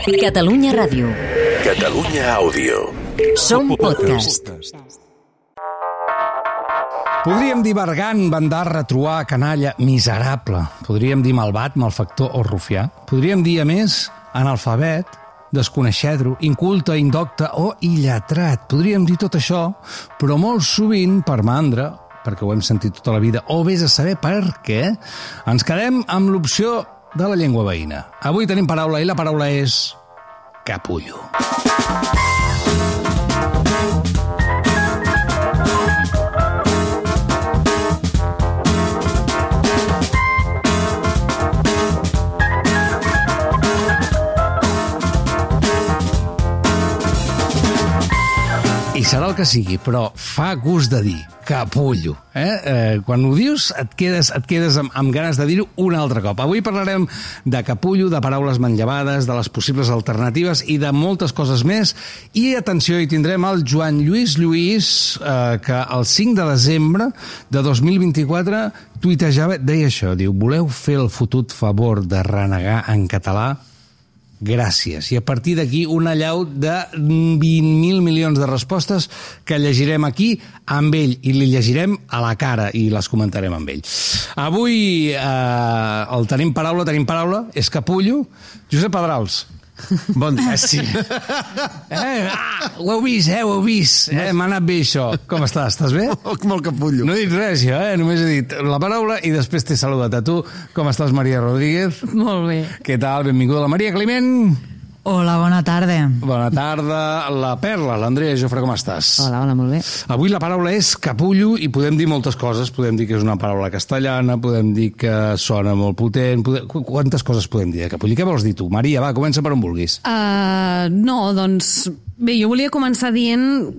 Catalunya Ràdio. Catalunya Àudio. Som podcast. Podríem dir bergant, bandar, retruà, canalla, miserable. Podríem dir malvat, malfactor o rufià. Podríem dir, a més, analfabet, desconeixedro, inculte, indocte o illetrat. Podríem dir tot això, però molt sovint, per mandra, perquè ho hem sentit tota la vida, o vés a saber per què, ens quedem amb l'opció de la llengua veïna. Avui tenim paraula i la paraula és capullo. I serà el que sigui, però fa gust de dir capullo. Quan ho dius et quedes amb ganes de dir-ho un altre cop. Avui parlarem de capullo, de paraules manllevades, de les possibles alternatives i de moltes coses més. I atenció, hi tindrem el Joan Lluís Lluís, que el 5 de desembre de 2024 tuitejava, deia això, diu: voleu fer el fotut favor de renegar en català? Gràcies. I a partir d'aquí una allau de 20.000 milions de respostes que llegirem aquí amb ell i li llegirem a la cara i les comentarem amb ell. Avui el tenim paraula, és capullo. Josep Pedrals. Bon dia. Sí. Ho heu vist. M'ha anat bé això. Com estàs? Estàs bé? Molt capullo. No he dit res, jo, només he dit la paraula i després t'he saludat a tu. Com estàs, Maria Rodríguez? Molt bé. Què tal? Benvinguda la Maria Climent. Hola, bona tarda. Bona tarda. La Perla, l'Andrea Jofre, com estàs? Hola, molt bé. Avui la paraula és capullo i podem dir moltes coses. Podem dir que és una paraula castellana, podem dir que sona molt potent. Quantes coses podem dir de capullo? Què vols dir tu? Maria, va, comença per on vulguis. No, doncs... Bé, jo volia començar dient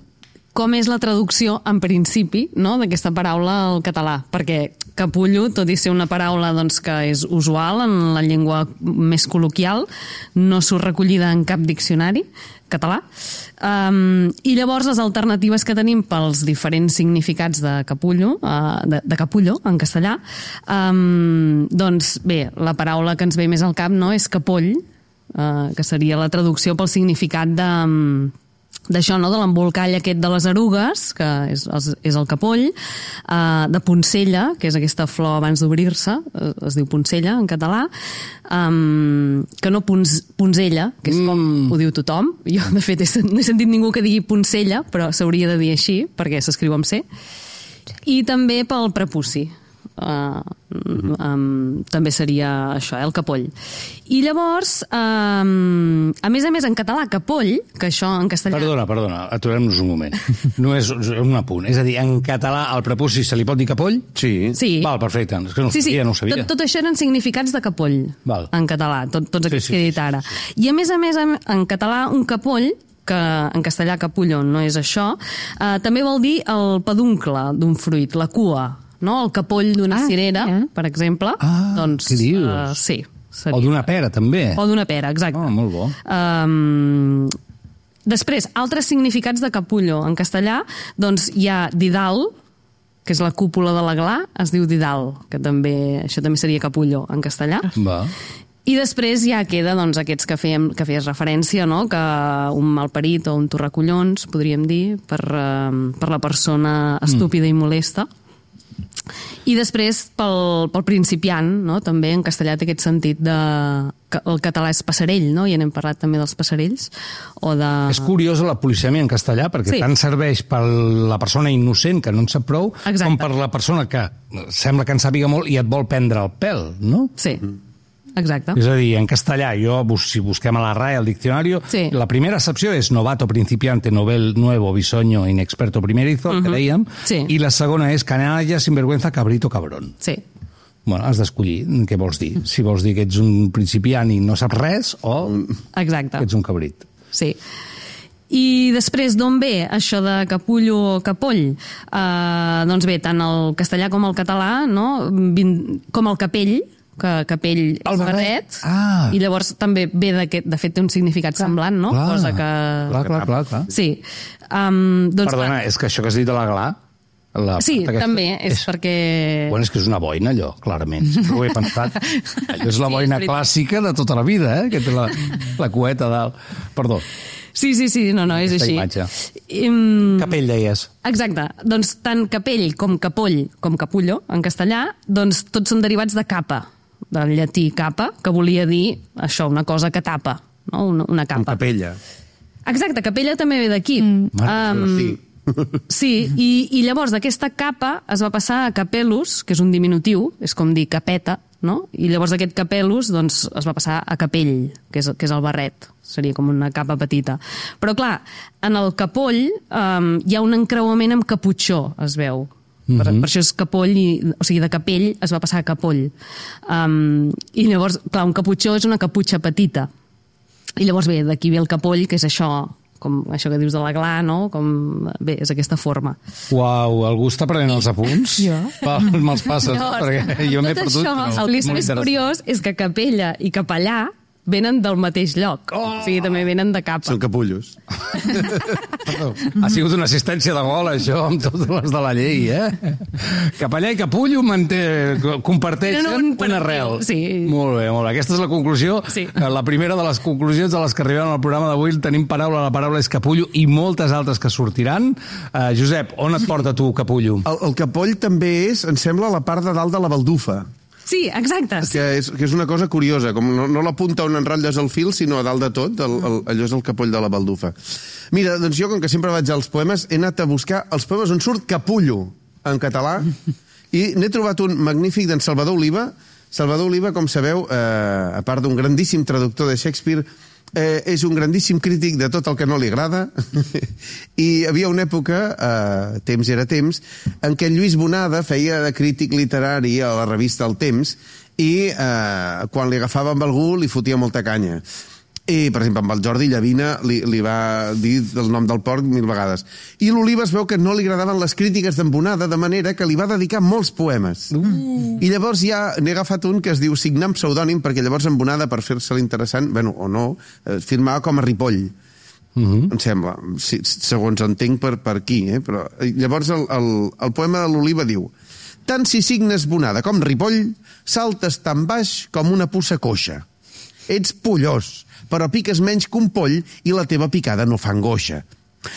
com és la traducció, en principi, no?, d'aquesta paraula al català, perquè capullo, tot i ser una paraula doncs, que és usual en la llengua més col·loquial, no surt recollida en cap diccionari català. I llavors les alternatives que tenim pels diferents significats de capullo, de capullo en castellà, doncs bé, la paraula que ens ve més al cap, no?, és capoll, que seria la traducció pel significat d'això, no?, de l'embolcall aquest de les erugues, que és el capoll, de poncella, que és aquesta flor abans d'obrir-se, es diu poncella en català, que no ponzella, que és com ho diu tothom. Jo, de fet, no he sentit ningú que digui poncella, però s'hauria de dir així, perquè s'escriu amb C. I també pel prepuci. També seria això, el capoll. I llavors, a més en català, capoll, que això en castellà... Perdona, aturem-nos un moment. No és un apunt. És a dir, en català al prepuci se li pot dir capoll? Sí. Val, perfecte. És que no ho sabia. Tot això eren significats de capoll. Val. En català, tots aquests que he dit ara. I a més, en català, un capoll, que en castellà capullo no és això, també vol dir el peduncle d'un fruit, la cua, no? El capoll d'una cirera, per exemple. Doncs, què dius? Sí. Seria. O d'una pera, també. O d'una pera, exacte. Molt bo. Després, altres significats de capullo. En castellà, doncs, hi ha didal, que és la cúpula de la gla, es diu didal, que això també seria capullo en castellà. Va. I després ja queda doncs, aquests que feies referència, no?, que un malparit o un torracollons, podríem dir, per la persona estúpida i molesta. I després, pel principiant, no?, també en castellà té aquest sentit que el català és passarell, no?, i n'hem parlat també dels passarells. És curiosa la polisèmia en castellà, perquè tant serveix per la persona innocent, que no en sap prou, com per la persona que sembla que en sàpiga molt i et vol prendre el pèl, no? Sí. Exacte. És a dir, en castellà, si busquem a la RAE, al diccionario, la primera accepció és novato, principiante, novel, nuevo, bisoño, inexperto, primerizo, que dèiem, i la segona és canalla, sinvergüenza, cabrito, cabrón. Sí. Bueno, has d'escollir què vols dir. Si vols dir que ets un principiant i no saps res, o que ets un cabrit. Sí. I després, d'on ve això de capullo o capoll? Doncs bé, tant el castellà com el català, no?, com el capell, capell és barret, i llavors també ve de fet té un significat semblant, no? Cosa que... Clar. Sí. Perdona, és que això que has dit de la gla Sí, també, és perquè... Bueno, és que és una boina, allò, clarament. Sempre ho he pensat. Allò és la boina clàssica de tota la vida, que té la cueta a dalt. Perdó. Sí, no, és Aquesta així. imatge. Capell, deies. Exacte. Doncs tant capell com capoll, com capullo, en castellà, doncs tots són derivats de capa, del llatí capa, que volia dir això, una cosa que tapa, no? Una Amb capa. capella. Exacte, capella també ve d'aquí. Sí. Sí, i llavors d'aquesta capa es va passar a capellus, que és un diminutiu, és com dir capeta, no? I llavors aquest capellus doncs, es va passar a capell, que és el barret. Seria com una capa petita. Però clar, en el capoll hi ha un encreuament amb caputxó, es veu. Per això és capoll, o sigui, de capell es va passar a capoll. I llavors, clar, un caputxó és una caputxa petita. I llavors ve, d'aquí ve el capoll, que és això, com això que dius de la gla, no? Bé, és aquesta forma. Uau, algú està prenent els apunts? Jo. Me'ls passes, perquè jo m'he perdut. El que és més curiós és que capella i capellà venen del mateix lloc. O sigui, també venen de capa. Són capullos. Ha sigut una assistència de gol, això, amb totes les de la llei, Capellà i capullo comparteixen una arrel. Sí. Molt bé, molt bé. Aquesta és la conclusió. Sí. La primera de les conclusions de les que arribem al programa d'avui. Tenim paraula, la paraula és capullo i moltes altres que sortiran. Josep, on et porta tu, capullo? El capoll també és, em sembla, la part de dalt de la baldufa. Sí, exacte. Que és una cosa curiosa, com no la punta on enrotlles el fil, sinó a dalt de tot, allò és el capoll de la baldufa. Mira, doncs jo, com que sempre vaig als poemes, he anat a buscar els poemes on surt capullo, en català, i n'he trobat un magnífic d'en Salvador Oliva. Salvador Oliva, com sabeu, a part d'un grandíssim traductor de Shakespeare, és un grandíssim crític de tot el que no li agrada i hi havia una època, temps era temps, en què en Lluís Bonada feia de crític literari a la revista El Temps i quan li agafava amb algú li fotia molta canya. I, per exemple, amb el Jordi Llavina li va dir el nom del porc 1000 vegades. I l'Oliva es veu que no li agradaven les crítiques d'en Bonada, de manera que li va dedicar molts poemes. I llavors ja n'he agafat un que es diu Signar amb pseudònim, perquè llavors en Bonada, per fer-se l'interessant, bueno, o no, firmava com a Ripoll. Em sembla, segons entenc per aquí. Però llavors el poema de l'Oliva diu: tant si signes Bonada com Ripoll, saltes tan baix com una puça coixa. Ets pollós, però piques menys que un poll i la teva picada no fa angoixa.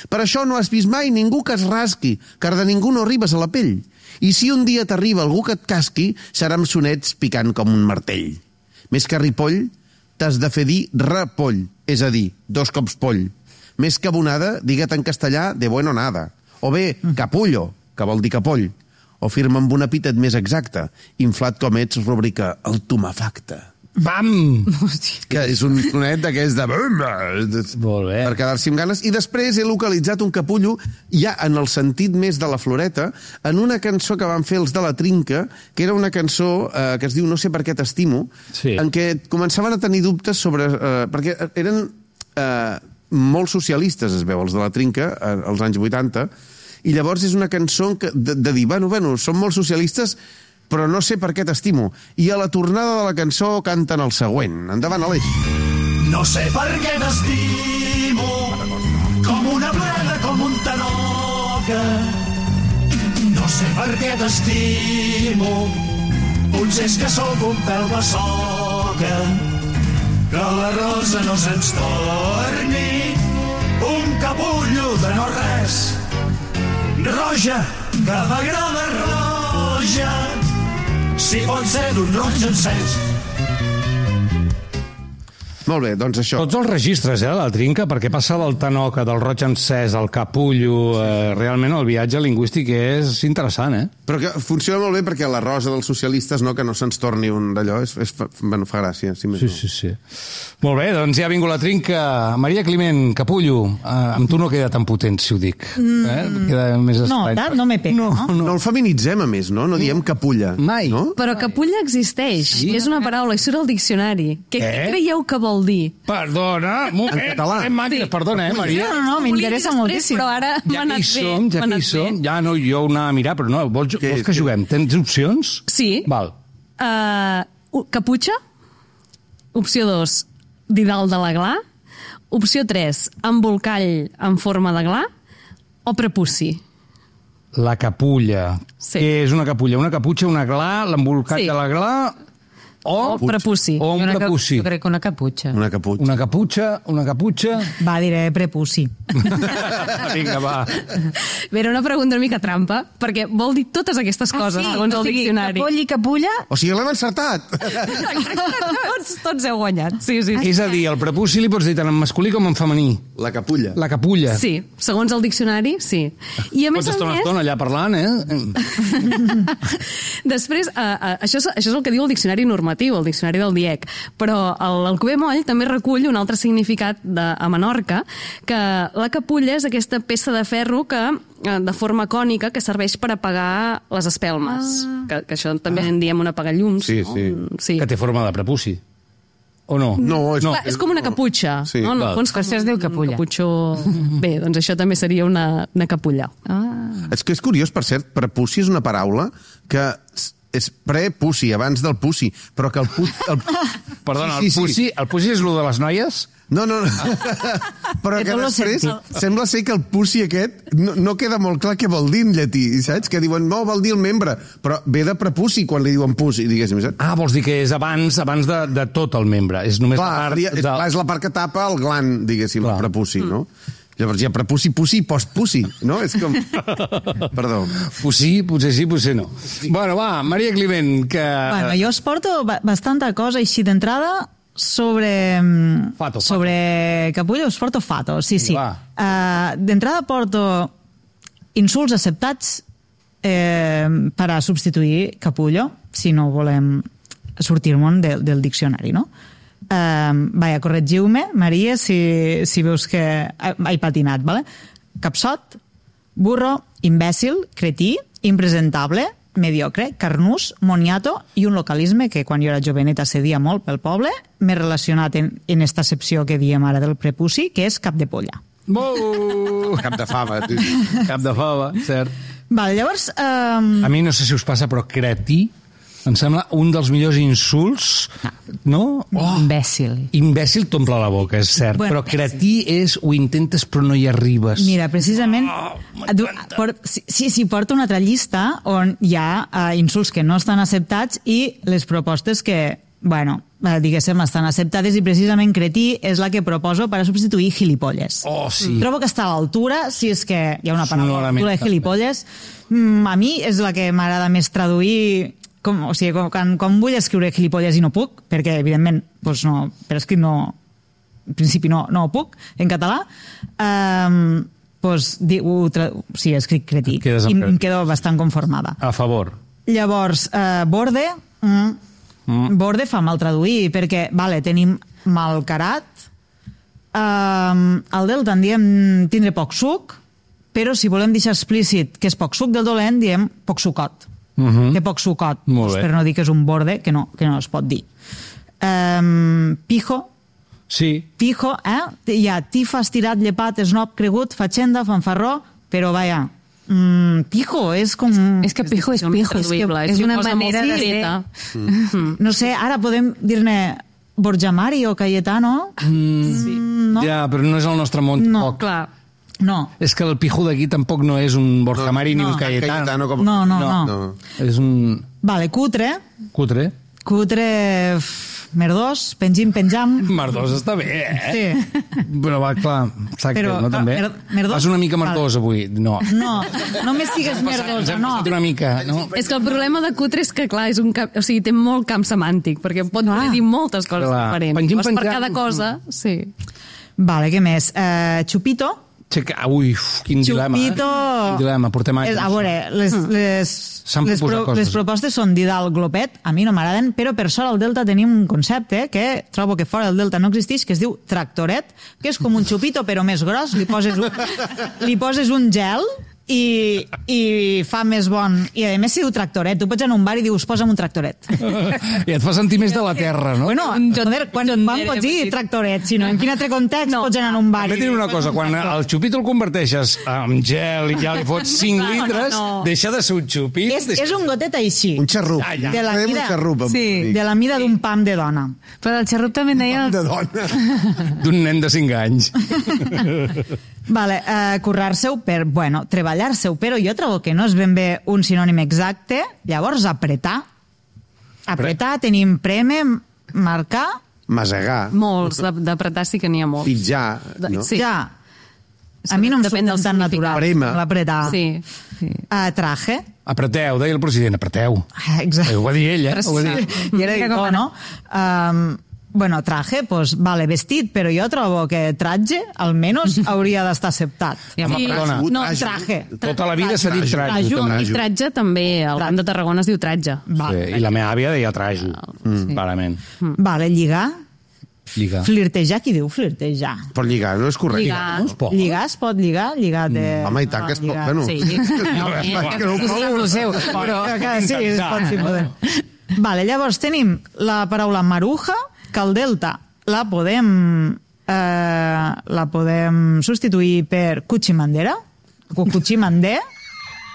Per això no has vist mai ningú que es rasqui, car de ningú no arribes a la pell. I si un dia t'arriba algú que et casqui, serà amb sonets picant com un martell. Més que ripoll, t'has de fer dir repoll, és a dir, 2 cops poll. Més que Bonada, digue't en castellà de bueno nada. O bé, capullo, que vol dir capoll. O firma amb un epítet més exacte, inflat com ets, rubrica el tumefacte. Bam! Que és un sonet d'aquest de... Molt bé. Per quedar-s'hi amb ganes. I després he localitzat un capullo, ja en el sentit més de la floreta, en una cançó que van fer els de la Trinca, que era una cançó que es diu No sé per què t'estimo, sí, en què començaven a tenir dubtes sobre... perquè eren molt socialistes, es veu, els de la Trinca, als anys 80, i llavors és una cançó de dir, bueno, som molt socialistes, però no sé per què t'estimo. I a la tornada de la cançó canten el següent. Endavant, Aleix. No sé per què t'estimo, com una bleda, com un tanoca. No sé per què t'estimo, potser és que sóc un pèl bessoca. Que la rosa no se'ns torni un capullo de no res. Roja, que m'agrada roja, si pot ser d'un roig encès. Molt bé, doncs això. Tots els registres, la Trinca, perquè passa del tanoca, del roig encès, al capullo, realment el viatge lingüístic és interessant, Però que funciona molt bé perquè la rosa dels socialistes, no, que no se'ns torni un d'allò, bueno, fa gràcia. Si més sí. Molt bé, doncs ja ha vingut la Trinca. Maria Climent, capullo, amb tu no queda tan potent, si ho dic. Queda més estrany. No me pega, no? No el feminitzem, a més, no? No diem capulla. Mai. No? Però capulla existeix, és una paraula, i surt al diccionari. Què creieu que vol dir? Perdona, En català. Perdona, Maria. No, m'interessa moltíssim. Però ara m'ha anat bé. Ja que hi som, ja no, jo ho anava a mirar, però no, vols que juguem? Tens opcions? Sí. Val. Caputxa. Opció 2, didal de la gla. Opció 3, embolcall en forma de gla. O prepuci. La capulla. Sí. Què és una capulla? Una caputxa, una gla, l'embolcat Sí. de la gla... O prepuci. O un prepuci. Jo crec que una caputxa. Una caputxa. Una caputxa... Va, diré prepuci. Vinga, va. Bé, era una pregunta una mica trampa, perquè vol dir totes aquestes coses, segons el diccionari. Capoll i capulla... O sigui, l'hem encertat. Tots heu guanyat, sí. És a dir, el prepuci li pots dir tant en masculí com en femení. La capulla. La capulla. Sí, segons el diccionari, sí. I a més Pots a estar una més... estona allà parlant, Després, això és el que diu el diccionari normatiu, el diccionari del DIEC, però l'Alcover Moll també recull un altre significat a Menorca, que la capulla és aquesta peça de ferro que de forma cònica que serveix per apagar les espelmes. Que això també en diem un apagallums. Sí, no? sí. Sí. Que té forma de prepuci. O no? No, és... Clar, és com una caputxa. Sí, no? En el val. fons, Per això es diu capulla. Un caputxó... Bé, doncs això també seria una capulla. És que és curiós, per cert, prepuci és una paraula que és pre-puci, abans del puci, però que el Perdona, Sí, sí. el puci és lo de les noies? No. Però que tot lo després sentit. sembla ser que el puci aquest no queda molt clar què vol dir en llatí, saps? Que diuen, no, vol dir el membre, però ve de prepuci quan li diuen puci, diguéssim, saps? Ah, vols dir que és abans de tot el membre. És només Clar, la part... és la part que tapa el gland, diguéssim, el prepuci, no? Llavors hi ha prepuci, puci i postpuci, no? És com... Perdó. Pucí, potser sí, potser no. Bueno, va, Maria Climent, que... Bueno, jo us porto bastanta cosa així d'entrada sobre... Fato. Sobre capulla us porto fato, sí. Va. D'entrada porto insults acceptats per a substituir capullo, si no volem sortir-me'n del diccionari, no? Vaja, corregiu-me, Maria, si veus que he patinat, ¿vale? Capsot, burro, imbècil, cretí, impresentable, mediocre, carnús, moniato i un localisme que quan jo era joveneta cedia molt pel poble, més relacionat en esta accepció que diem ara del prepuci, que és cap de polla. Cap de fava. Cap de fava, cert. Vale, llavors... A mi no sé si us passa, però cretí em sembla un dels millors insults, no? Imbècil. Imbècil t'omple la boca, és cert, Bueno, però cretí és ho intentes però no hi arribes. Mira, precisament, sí, porto una altra llista on hi ha insults que no estan acceptats i les propostes que, bueno, diguéssim, estan acceptades, i precisament cretí és la que proposo per a substituir gilipolles. Oh, sí. Trobo que està a l'altura, si és que hi ha una paraula a Sonorament l'altura de gilipolles. A mi és la que m'agrada més traduir, o sigui, quan vull escriure gilipolles i no puc, perquè evidentment doncs no, per escrit no, en principi no ho puc en català, doncs sí, escric cretí i em quedo bastant conformada. A favor. Llavors, borde borde fa mal traduir, perquè vale, tenim malcarat, al delta en diem tindre poc suc, però si volem deixar explícit que és poc suc del dolent, diem poc sucot. Té poc sucot, per no dir que és un borde que no es pot dir. Pijo. Sí. Pijo, hi ha tifa, estirat, llepat, esnob, cregut, fatxenda, fanfarró, però vaja, pijo és com... És que pijo és pijo, és una manera de ser... No sé, ara podem dir-ne Borja Mari o Cayetano? No? Ja, però no és el nostre món. No, clar. No. És que el pijo d'aquí tampoc no és un Borja Mari ni un Cayetano. No. És un... Vale, cutre. Cutre, merdós, penjam. Merdós està bé, Sí. Però va, clar, exacte, Però, no també? merdós... Vas una mica merdós avui, no. No només sigues merdosa, no. Una mica, no? És que el problema de cutre és que, clar, és un camp, o sigui, té molt camp semàntic, perquè pot dir moltes coses diferents. Pengim, per cada cosa, sí. Vale, què més? Chupito. Ui, quin dilema. Quin dilema, portem anys. A veure, les propostes són Didal, Glopet, a mi no m'agraden, però per sort al Delta tenim un concepte que trobo que fora del Delta no existeix, que es diu tractoret, que és com un xupito però més gros, li poses un gel i fa més bon. I a més si diu tractoret, tu pots anar a un bar i dius posa'm un tractoret. I et fa sentir més de la terra, no? Bueno, joder, quan pots dir tractoret? Si no, en quin altre context pots anar a un bar? També tinc una cosa, quan el xupito el converteixes en gel i ja li fots 5 litres, deixa de ser un xupit. És un gotet així. Un xarrup. De la mida, un xarrup. de la mida d'un pam de dona. Però el xarrup també deia... De dona. D'un nen de 5 anys. Vale, currar-se-ho per, bueno, treballar treballar-se-ho, però jo trobo que no és ben bé un sinònim exacte. Llavors, apretar. Apretar, tenim preme, marcar, Masegar, Molts, d'apretar sí que n'hi ha molts. pitjar, no? Sí. ja. A mi no em Depèn surt del tan significat. natural. Prema. L'apretar. Sí. Traje. Apreteu, deia el president, apreteu. Exacte. Ho va dir ell, Ho va dir. I era igual, no? Bueno, traje, pues, vale, vestit, però jo trobo que traje, almenys, hauria d'estar acceptat. Home, perdona. No, traje. Tota la vida s'ha dit trajo. Trajo. també. I tratge també, al Camp de Tarragona es diu tratge. Sí, I la meva àvia deia trajo, clarament. Vale, lligar. Lliga. Flirtejar, qui diu flirtejar? Per lligar, no és correcte. Lligar. No es pot. Lligar es pot lligar? Lligar de... Home, i tant que es pot. lligar. Bueno, Sí. que no ho provo. Lo seu, però... Sí, es pot, sí, podem. Vale, llavors tenim la paraula maruja, que al delta la podem substituir per cuchimandera, o cuchimandé,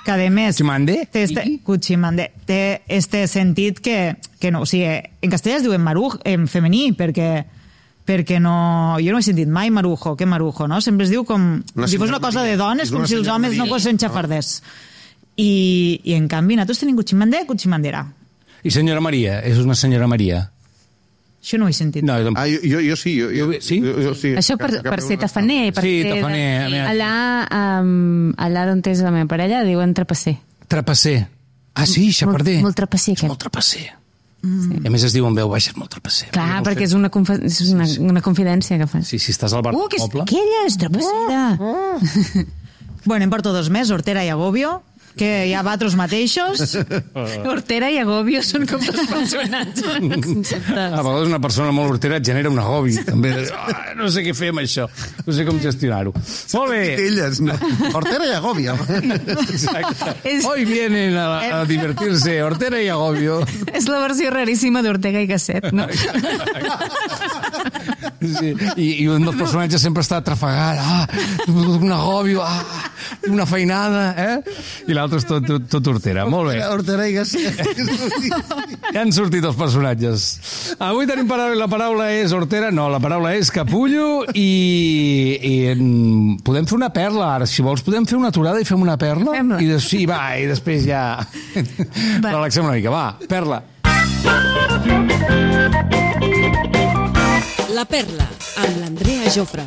que a més Cuchimandé? cuchimandé té este sentit que no, o sigui, en castellà es diu en maruj, en femení, perquè no, jo no he sentit mai marujo, que marujo, no? Sempre es diu com si fos una cosa de dones, com si els homes no fossin xafarders. I en canvi, nosaltres tenim cuchimandé, cuchimandera. I senyora Maria, és una senyora Maria. Això no ho he sentit. No, jo tampoc. Jo sí. Sí? Jo sí. Això per ser tafaner, per Sí, ser... tafaner. Allà on és la meva parella diuen trapasser. Trapasser. Ah, sí, xafarder. Molt trapasser, És aquest. molt trapasser. I a més es diu en veu baixa, és molt trapasser. Clar, perquè és una confidència que fas. Sí, si estàs al bar del Que és poble. aquella, és trapassera. Bueno, en porto 2 més, Hortera i Agobio, que hi ha vatros mateixos. Hortera i Agobio són com dos personatges. A vegades una persona molt hortera et genera un agobi. També. No sé què fer amb això. No sé com gestionar-ho. Molt bé. Elles, no. Hortera i Agòbia. Exacte. Hoy vienen a divertirse Hortera y Agobio. És la versió raríssima d'Ortega i Gasset, no? Sí. I un dels personatges sempre està trafegat. Un agobio, una feinada, I l'altre és tot hortera. Molt bé. Hortera i Gasset. Ja han sortit els personatges. Avui tenim la paraula és hortera, no, la paraula és capullo i podem fer una perla ara. Si vols podem fer una aturada i fem una perla? Fem-la. Sí, va, i després ja relaxem una mica. Va, perla. La Perla, amb l'Andrea Jofre.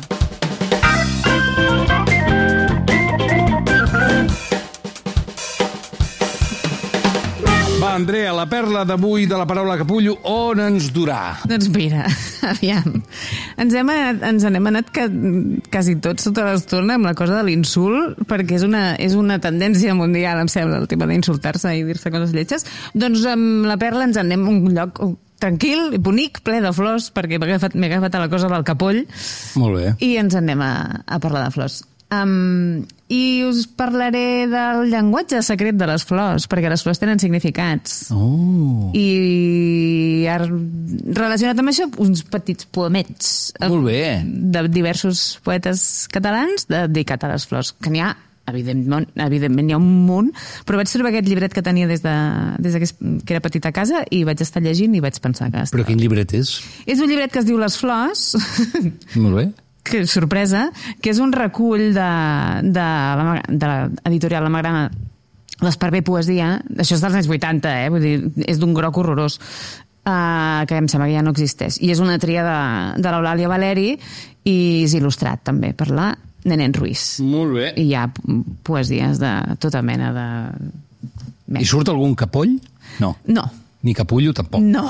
Va, Andrea, la perla d'avui de la paraula capullo, on ens durà? Doncs mira, aviam. Ens n'hem anat quasi tots tota l'estona amb la cosa de l'insult, perquè és una tendència mundial, em sembla, el tema d'insultar-se i dir-se coses lletges. Doncs amb la perla ens anem a un lloc tranquil, bonic, ple de flors, perquè m'he agafat a la cosa del capoll. Molt bé. I ens anem a parlar de flors. I us parlaré del llenguatge secret de les flors, perquè les flors tenen significats. I relacionat amb això, uns petits poemets Molt bé. de diversos poetes catalans dedicats a les flors, que n'hi ha, evidentment n'hi ha un munt, però vaig trobar aquest llibret que tenia des que era petita a casa i vaig estar llegint i vaig pensar que... Però quin llibret és? És un llibret que es diu Les flors, Molt bé. que sorpresa, que és un recull de l'editorial La Magrana, l'Esparver Poesia, això és dels anys 80, vull dir, és d'un groc horrorós, que em sembla que ja no existeix. I és una tria de l'Eulàlia Valeri i és il·lustrat també per la Nenén Ruiz. Molt bé. I hi ha poesies de tota mena de... I surt algun capoll? No. No. Ni capullo, tampoc. No.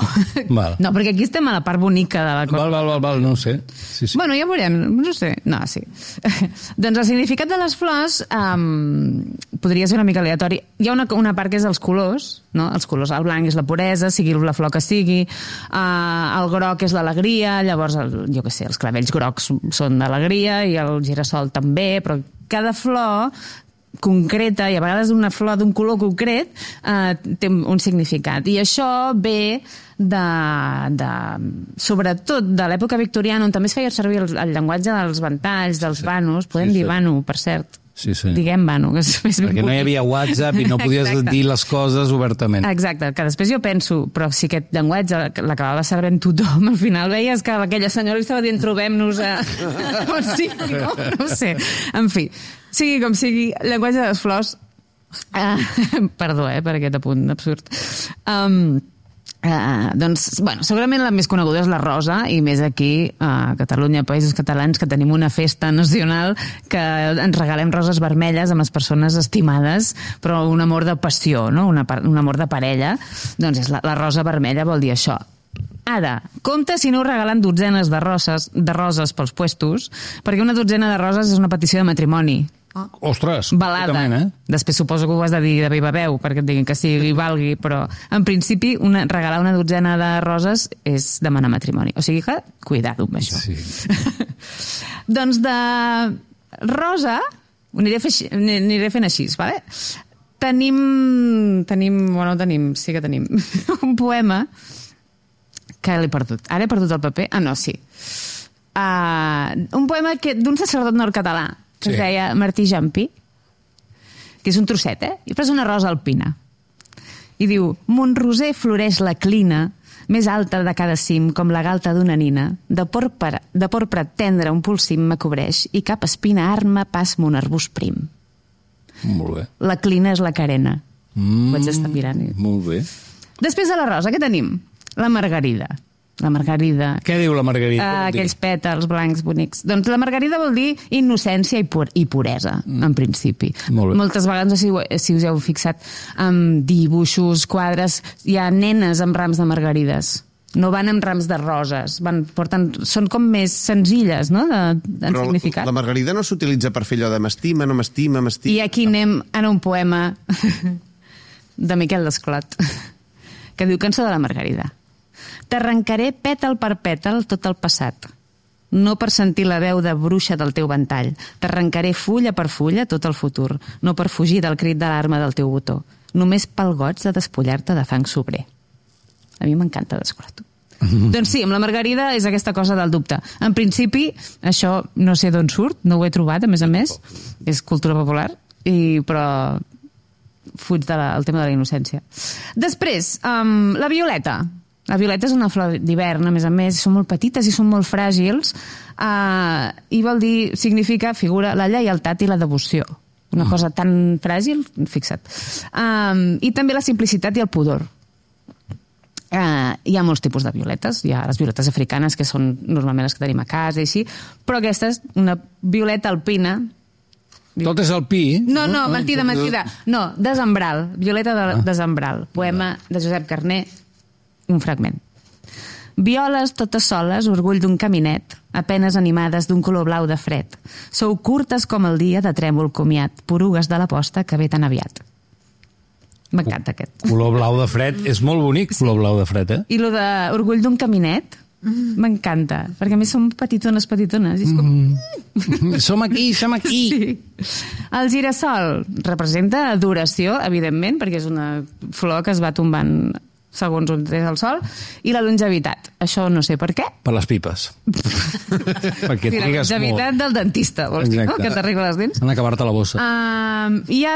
Val. No, perquè aquí estem a la part bonica de la cosa. Val, no ho sé. Sí. Bueno, ja veurem, no sé. No, sí. Doncs el significat de les flors podria ser una mica aleatori. Hi ha una part que és els colors, no? Els colors, el blanc és la puresa, sigui la flor que sigui, el groc és l'alegria, llavors, jo què sé, els clavells grocs són d'alegria i el girassol també, però cada flor concreta, i a vegades una flor d'un color concret té un significat. I això ve sobretot de l'època victoriana, on també es feia servir el llenguatge dels ventalls, dels vanos, podem dir vano, per cert, Sí, sí. Diguem vano, que és més ben Perquè no hi havia WhatsApp i no podies dir les coses obertament. Exacte, que després jo penso, però si aquest llenguatge l'acabava sabent tothom, al final veies que aquella senyora li estava dient trobem-nos a... on sigui, no? No ho sé. En fi, sigui com sigui, llenguatge de les flors... Perdó, per aquest apunt absurd. Doncs, bueno, segurament la més coneguda és la rosa, i més aquí a Catalunya, Països Catalans, que tenim una festa nacional que ens regalem roses vermelles amb les persones estimades, però un amor de passió, no? Un amor de parella. Doncs la rosa vermella vol dir això. Ara, compte si no us regalen dotzenes de roses pels puestos, perquè una dotzena de roses és una petició de matrimoni. Ostres, balada. Després suposo que ho has de dir de viva veu perquè et diguin que sí i valgui, però en principi regalar una dotzena de roses és demanar matrimoni. O sigui que, cuidado amb això. Sí. Doncs de rosa ho aniré fent així, vale? Sí que tenim un poema que l'he perdut. Ara he perdut el paper? No, sí. Un poema d'un sacerdot nord-català que es deia Martí Jampí, que és un trosset, i és una rosa alpina. I diu: Montroser floreix la clina, més alta de cada cim, com la galta d'una nina. De porpra tendre un polsim me cobreix i cap espina arma pas mon arbust prim. Molt bé. La clina és la carena. Ho vaig estar mirant. Molt bé. Després de la rosa, què tenim? La margarida. La margarida. Què diu la margarida? Aquells pètals blancs bonics. Doncs la margarida vol dir innocència i puresa, en principi. Moltes vegades, si us heu fixat, amb dibuixos, quadres, hi ha nenes amb rams de margarides. No van amb rams de roses. Són com més senzilles, no?, en significat. La margarida no s'utilitza per fer allò de m'estima, no m'estima, m'estima... I aquí anem a un poema de Miquel Desclot, que diu: Cançó de la margarida. T'arrencaré pètal per pètal tot el passat, no per sentir la veu de bruixa del teu ventall. T'arrencaré fulla per fulla tot el futur, no per fugir del crit d'alarma del teu botó, només pel goig de despullar-te de fang sobrer. A mi m'encanta Desclot. Doncs sí, amb la margarida és aquesta cosa del dubte. En principi, això no sé d'on surt, no ho he trobat, a més, és cultura popular, però fuig del tema de la innocència. Després, la violeta. La violeta és una flor d'hivern, a més, són molt petites i són molt fràgils, i vol dir, significa, figura la lleialtat i la devoció. Una cosa tan fràgil, fixa't. I també la simplicitat i el pudor. Hi ha molts tipus de violetes. Hi ha les violetes africanes, que són normalment les que tenim a casa i així, però aquesta és una violeta alpina. Tot és alpí? No, mentida. No, Desembral, violeta de Desembral, poema de Josep Carner, un fragment. Violes totes soles, orgull d'un caminet, apenes animades d'un color blau de fred. Sou curtes com el dia de trèmol comiat, porugues de la posta que ve tan aviat. M'encanta aquest. Color blau de fred, és molt bonic, color blau de fred, I lo de orgull d'un caminet, m'encanta, perquè a més som petitones. I és com... Som aquí. Sí. El girassol representa adoració, evidentment, perquè és una flor que es va tombant segons on és el sol, i la longevitat. Això no sé per què. Per les pipes. Perquè trigues molt. La longevitat del dentista, vols dir, no? Que t'arregla les dents. Han d'acabar-te la bossa. Hi ha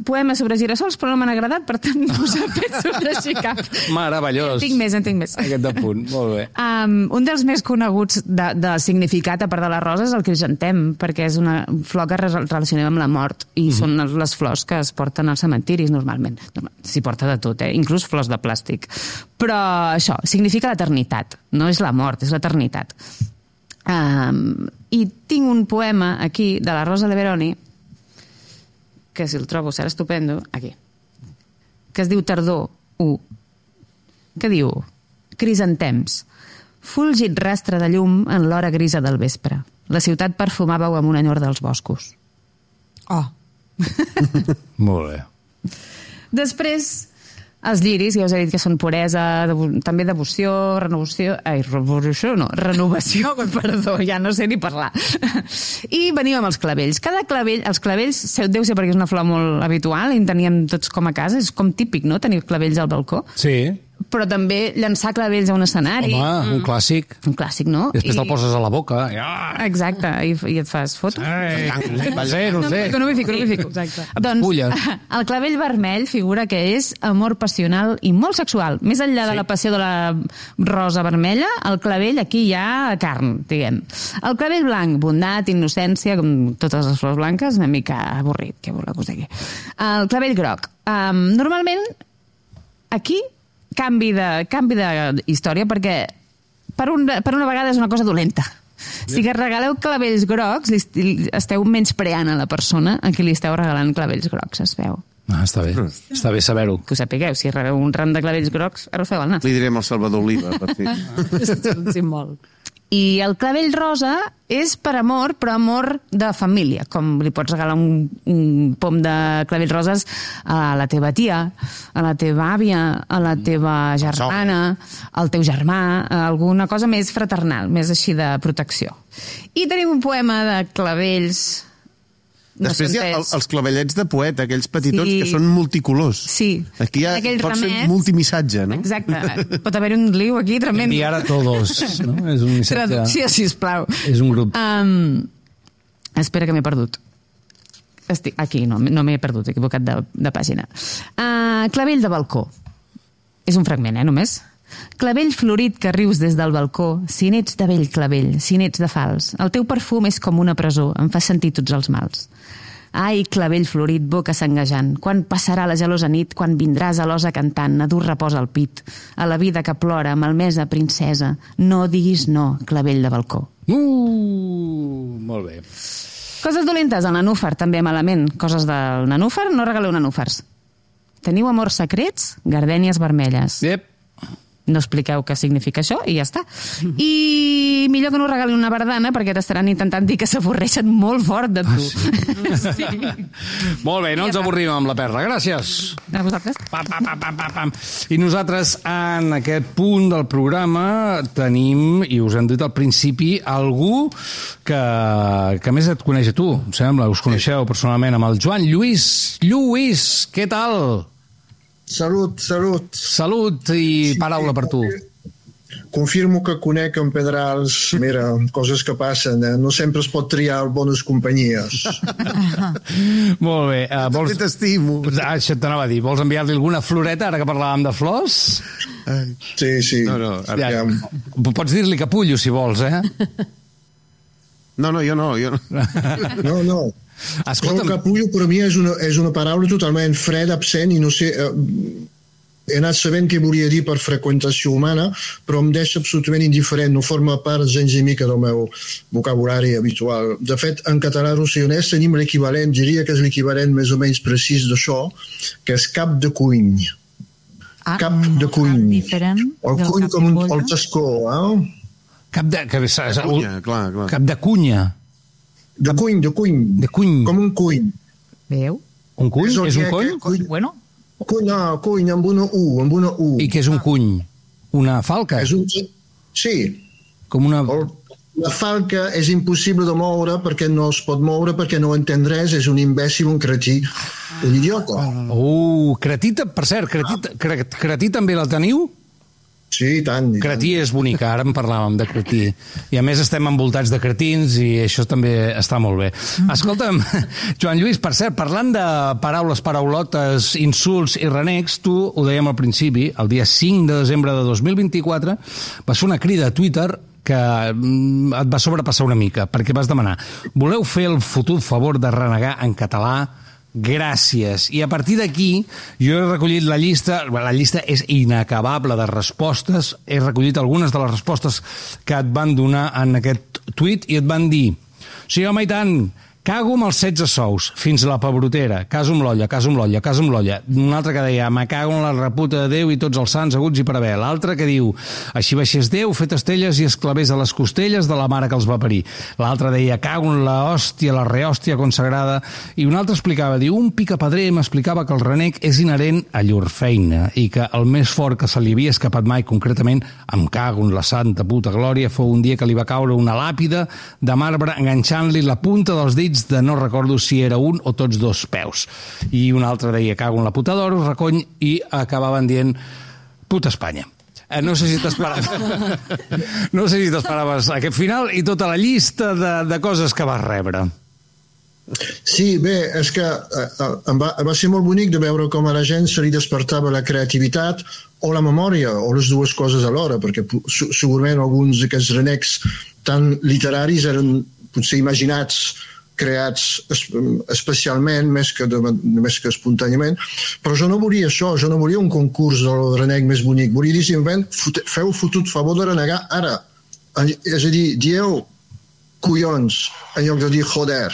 poemes sobre girassols, però no m'han agradat, per tant no us he fet sobre així cap. Meravellós. En tinc més. Aquest de punt, molt bé. Un dels més coneguts de significat, a part de la rosa, és el crisantem, perquè és una flor que relacionem amb la mort, i són les flors que es porten als cementiris, normalment. S'hi porta de tot, inclús flors de plàstic. Però això, significa l'eternitat, no és la mort, és l'eternitat. I tinc un poema aquí de la Rosa Leveroni, que si el trobo serà estupendo, aquí, que es diu Tardor 1, que diu: Crisantems, fulgit rastre de llum en l'hora grisa del vespre. La ciutat perfumàveu amb un enyor dels boscos. Molt bé. Després, els lliris, ja us he dit que són puresa, també devoció, renovació, perdó, ja no sé ni parlar. I venim amb els clavells. Els clavells, deu ser perquè és una flor molt habitual i en teníem tots com a casa, és com típic, no?, tenir clavells al balcó. Sí. però també llançar clavells a un escenari. Home, un clàssic. Un clàssic, no? Després te'l poses a la boca. Exacte, i et fas foto. No sé. No m'hi fico. Exacte. Doncs Pulles. el clavell vermell figura que és amor passional i molt sexual. Més enllà de la passió de la rosa vermella, el clavell aquí hi ha carn, diguem. El clavell blanc, bondat, innocència, com totes les flors blanques, una mica avorrit, què voleu que us digui. El clavell groc. Normalment, aquí, canvi de història, perquè per una vegada és una cosa dolenta. Si que regaleu clavells grocs, esteu menyspreant a la persona a qui li esteu regalant clavells grocs, es veu. Està bé. Està bé saber-ho. Que ho sapigueu, si rebeu un ram de clavells grocs, ara us feu el nas. Li direm al Salvador Oliva, per fi. És un símbol. I el clavell rosa és per amor, però amor de família, com li pots regalar un pom de clavells roses a la teva tia, a la teva àvia, a la teva germana, al teu germà, alguna cosa més fraternal, més així de protecció. I tenim un poema de clavells... Després hi ha els clavellets de poeta, aquells petitons que són multicolors. Sí. Aquí pot ser multimissatge, no? Exacte. Pot haver un lío aquí tremendo. Enviar a todos, no? És un missatge... Traducció, sisplau. És un grup. Espera que m'he perdut. Estic aquí, no m'he perdut, he equivocat de pàgina. Clavell de balcó. És un fragment, només. Clavell florit que rius des del balcó, si n'ets de vell clavell, si n'ets de fals. El teu perfum és com una presó, em fa sentir tots els mals. Ai, clavell florit, boca sanguejant, quan passarà la gelosa nit, quan vindràs a l'osa cantant, a dur repòs al pit, a la vida que plora, malmesa princesa, no diguis no, clavell de balcó. Molt bé. Coses dolentes, el nanúfar, també malament. Coses del nanúfar, no regaleu nanúfars. Teniu amors secrets? Gardènies vermelles. Yep. No expliqueu què significa això i ja està. I millor que no regalin una bardana perquè t'estaran intentant dir que s'avorreixen molt fort de tu. Sí. Molt bé, no ens avorrim amb la perla. Gràcies. A vosaltres. Pam. I nosaltres, en aquest punt del programa, tenim, i us hem dit al principi, algú que més et coneix a tu, em sembla, us coneixeu personalment, amb el Joan Lluís. Lluís, què tal? Salut. Salut i paraula per tu. Confirmo que conec en Pedrals, mira, coses que passen, no sempre es pot triar bones companyies. Molt bé. Vols... T'estimo. Això t'anava a dir. Vols enviar-li alguna floreta, ara que parlàvem de flors? Sí. No, ja. Pots dir-li capullo, si vols, eh? No, jo no. No. Escolta'm. El capullo per mi és una paraula totalment freda, absent, i no sé... he anat sabent què volia dir per freqüentació humana, però em deixa absolutament indiferent, no forma part gens i mica del meu vocabulari habitual. De fet, en català rossellonès tenim l'equivalent, diria que és l'equivalent més o menys precís d'això, que és cap de cuny. Cap de cuny. Diferent. El cuny com el tascó, Cap de... Cunya, clar. Cap de cunya. De cuny. De cuny. Com un cuny. Veu? Un cuny? És un cony? Bueno. Cuny amb una U. I què és un cuny? Una falca? Sí. Com una... La falca és impossible de moure perquè no es pot moure, perquè no entén res, és un imbècil, un cretí, un idiota. Cretí, per cert, cretí també la teniu? Sí, i tant. Cretí és bonica, ara en parlàvem de cretí. I a més estem envoltats de cretins i això també està molt bé. Escolta'm, Joan Lluís, per cert, parlant de paraules, paraulotes, insults i renecs, tu ho dèiem al principi, el dia 5 de desembre de 2024, vas fer una crida a Twitter que et va sobrepassar una mica, perquè vas demanar: voleu fer el fotut favor de renegar en català? Gràcies. I a partir d'aquí jo he recollit la llista és inacabable de respostes, he recollit algunes de les respostes que et van donar en aquest tuit i et van dir: sí, home, i tant, cago amb els 16 sous, fins a la pebrotera, caso amb l'olla. Un altre que deia: me cago en la reputa de Déu i tots els sants aguts i per haver. L'altre que diu: així baixés Déu, fet estelles i esclavés a les costelles de la mare que els va parir. L'altre deia: cago en la hòstia, la rehòstia consagrada. I un altre explicava, diu: un picapedrer m'explicava que el renec és inherent a llur feina i que el més fort que se li havia escapat mai, concretament, em cago en la santa puta glòria, fou un dia que li va caure una làpida de marbre enganxant-li la punta dels dits de no recordo si era un o tots dos peus. I un altre deia: cago en la puta d'oro, recony, i acabaven dient: Puta Espanya. No sé si t'esperaves aquest final i tota la llista de coses que vas rebre. Sí, bé, és que va ser molt bonic de veure com a la gent se li despertava la creativitat o la memòria, o les dues coses alhora, perquè segurament alguns d'aquests renecs tan literaris eren potser imaginats, creats especialment, més que espontàniament, però jo no volia això, jo no volia un concurs del renec més bonic, volia dir simplement, feu fotut favor de renegar ara, és a dir, dieu collons en lloc de dir joder.